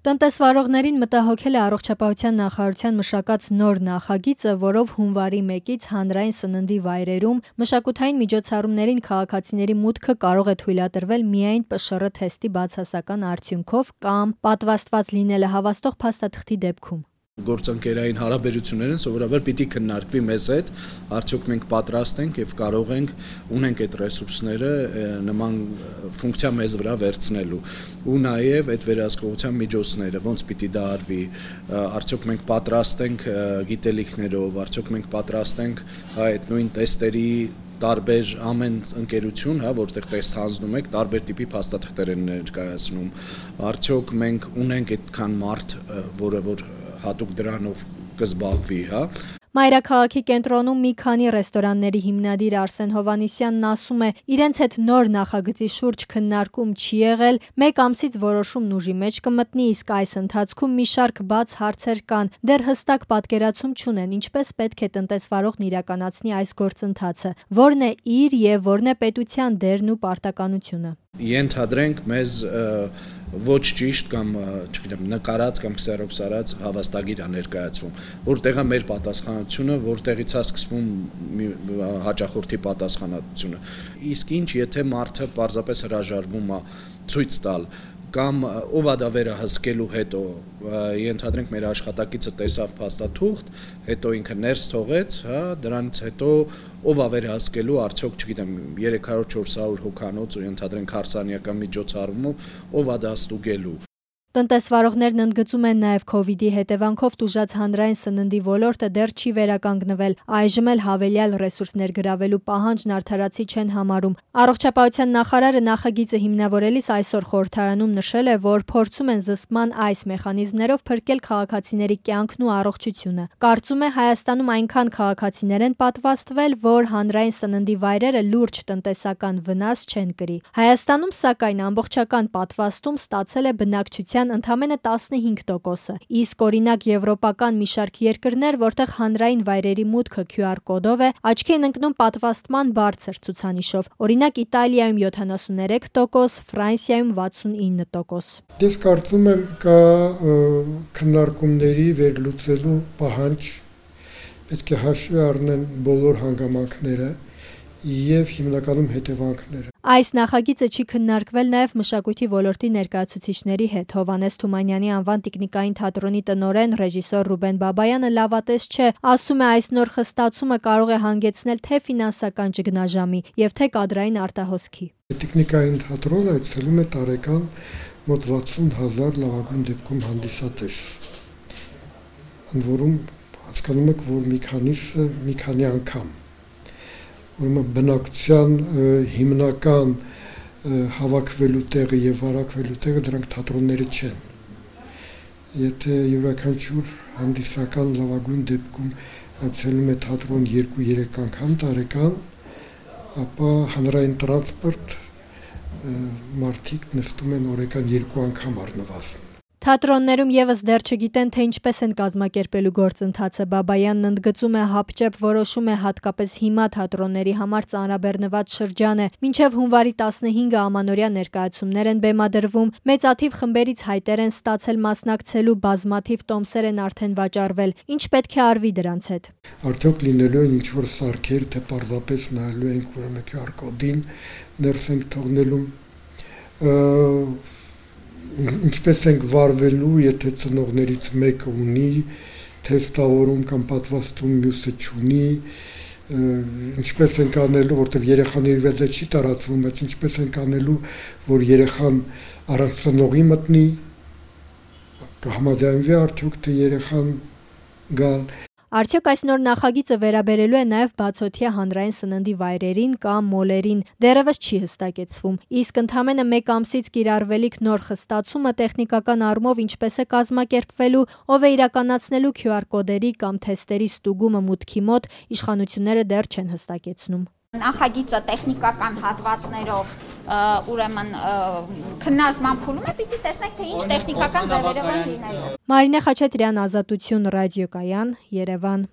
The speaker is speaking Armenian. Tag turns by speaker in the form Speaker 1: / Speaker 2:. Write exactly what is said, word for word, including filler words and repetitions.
Speaker 1: Տնտեսվարողներին մտահոգել է առողջապահության նախարարության մշակած նոր նախագիծը, որով հունվարի մեկից հանրային սննդի վայրերում մշակութային միջոցառումներին քաղաքացիների մուտքը կարող է թույլատրվել միայն Պ Շ R թեստի բացասական արդյունքով կամ պատվաստված լինելը հավաստող փաստաթղթի դեպքում։
Speaker 2: Գործընկերային հարաբերություններն սովորաբար պիտի քննարկվի մեզ հետ, արդյոք մենք պատրաստ ենք եւ կարող ենք ունենք այդ ռեսուրսները նման ֆունկցիա մեզ վրա վերցնելու ու նաեւ այդ վերահսկողության միջոցները ոնց պիտի դա արվի, արդյոք մենք պատրաստ ենք գիտելիքներով, արդյոք մենք պատրաստ ենք այդ նույն տեստերի տարբեր ամեն ընկերություն, հա, որտեղ տեստ հանձնում եք, տարբեր տիպի փաստաթղթեր են ներկայացնում, արդյոք մենք ունենք այդքան մարդ, որը որ հատուկ դրանով կզբաղվի, հա։
Speaker 1: Մայրաքաղաքի կենտրոնում մի քանի ռեստորանների հիմնադիր Արսեն Հովհաննիսյանն ասում է, իրենց հետ նոր նախագծի շուրջ քննարկում չի եղել, մեկ ամսից որոշումն ուժի մեջ կմտնի, իսկ այս ընթացքում մի շարք բաց հարցեր կան, դեռ հստակ պատկերացում չունեն, ինչպես պետք է տնտեսվարողն իրականացնի այս գործընթացը, որն է իր եւ որն է պետության դերն ու պարտականությունը։
Speaker 2: Ենթադրենք մեզ ոչ ճիշտ կամ չգիտեմ նկարած կամ քսերոքսարած հավաստագիր է ներկայացվում, որտեղ է մեր պատասխանատվությունը, որտեղից է սկսվում հաճախորդի պատասխանատվությունը։ Իսկ ինչ եթե մարդը պարզապես հրաժարվում է ցույց տալ կամ ով է դա վերահսկելու հետո, ենթադրենք մեր աշխատակիցը տեսավ փաստաթուղթ, հետո ինքը ներս թողեց, հա, դրանից հետո ով է վերահսկելու, արդյոք չգիտեմ երեք հարյուր չորս հարյուր հոգանոց ու ենթադրենք հարսանեկան միջոցառումով, ով է դա ստուգելու։
Speaker 1: Տնտեսվարողներն ընդգծում են նաև Քովիդի հետևանքով տուժած հանրային սննդի ոլորտը դեռ չի վերականգնվել, այժմ էլ հավելյալ ռեսուրսներ գրավելու պահանջն արդարացի չեն համարում։ Առողջապահության նախարարը նախագիծը հիմնավորելիս այսօր խորհրդարանում նշել է, որ փորձում են զսպման այս մեխանիզմներով փրկել քաղաքացիների կյանքն ու առողջությունը։ Կարծում է Հայաստանում այնքան քաղաքացիներ են պատվաստվել, որ հանրային սննդի վայրերը լուրջ տնտեսական վնաս չեն կրի։ Հայաստանում, սակայն, ամբողջական պատվաստում ստացել է բնակչության ընդամենը տասնհինգ տոկոսը, իսկ օրինակ եվրոպական մի շարք երկրներ, որտեղ հանրային վայրերի մուտքը Q R կոդով է, աչքի են ընկնում պատվաստման բարձր ցուցանիշով, օրինակ Իտալիայում յոթանասուններեք տոկոս, Ֆրանսիայում վաթսունինը տոկոս։
Speaker 3: Ես կարծում եմ կա քննարկումների վերլուծելու պահանջ, պետք է հաշվի առնեն բոլոր հանգամանքները եւ հիմնականում հետևանքները։
Speaker 1: Այս նախագիծը չի քննարկվել նաև մշակույթի ոլորտի ներկայացուցիչների հետ։ Հովհաննես Թումանյանի անվան տիկնիկային թատրոնի տնօրեն ռեժիսոր Ռուբեն Բաբայանը լավատես չէ, ասում է այս նոր խստացումը կարող է հանգեցնել թե ֆինանսական ճգնաժամի եւ թե կադրային արտահոսքի։
Speaker 3: Տիկնիկային թատրոնը այցելում է տարեկան մոտ վաթսուն հազար լավագույն դեպքում հանդիսատես։ Ընդ որում հասկանում եք, որ մի քանիսը մի քանի անգամ ուրեմն բնակչության հիմնական հավաքվելու տեղը եւ վարակվելու տեղը դրանք թատրոնները չեն։ Եթե յուրաքանչյուր հանդիսական լավագույն դեպքում այցելում է թատրոն երկու-երեք անգամ տարեկան, ապա հանրային տրանսպորտ մարդիկ նստում են օրական երկու անգամ առնվազն։
Speaker 1: Թատրոններում եւս դեռ չգիտեն, թե ինչպես են կազմակերպելու գործընթացը։ Բաբայանն ընդգծում է, հապճեպ որոշում է հատկապես հիմա թատրոնների համար ծանրաբեռնված շրջան է։ Մինչև հունվարի տասնհինգը ամանորյա ներկայացումներ են բեմադրվում, մեծաթիվ խմբերից հայտեր են ստացել մասնակցելու, բազմաթիվ տոմսեր են արդեն վաճառվել։ Ինչ պետք է արվի դրանց հետ։
Speaker 3: Արդյոք լինելու են ինչ-որ սարքեր, թե պարզապես նայելու ենք ուրեմն Q R կոդին, ներս ենք թողնելու ինչպես ենք վարվելու, եթե ծնողներից մեկը ունի թեստավորում կամ պատվաստում, մյուսը չունի, ինչպես ենք անելու, որտեղ երեխան իր վրա չի տարածվում, բայց ինչպես ենք անելու, որ երեխան առանց ծնողի մտնի, կհամաձայնվի արդյոք թե երեխան գալ։
Speaker 1: Արդյոք այս նոր նախագիծը վերաբերելու է նաև բացօթյա հանրային սննդի վայրերին կամ մոլերին, դեռևս չի հստակեցվում, իսկ ընդամենը մեկ ամսից կիրառվելիք նոր խստացումը տեխնիկական առումով ինչպես է կազմակերպվելու, ով է իրականացնելու Q R կոդերի կամ թեստերի ստուգումը մուտքի մոտ, իշխանությունները դեռ չեն հստակեցնում։
Speaker 4: Նախագիծը տեխնիկական հատվածներով ուրեմն քննարկման փուլում է, պիտի տեսնենք, թե ինչ տեխնիկական ձևերով են լինելու։
Speaker 1: Մարինե Խաչատրյան, Ազատություն ռադիոկայան, Երևան։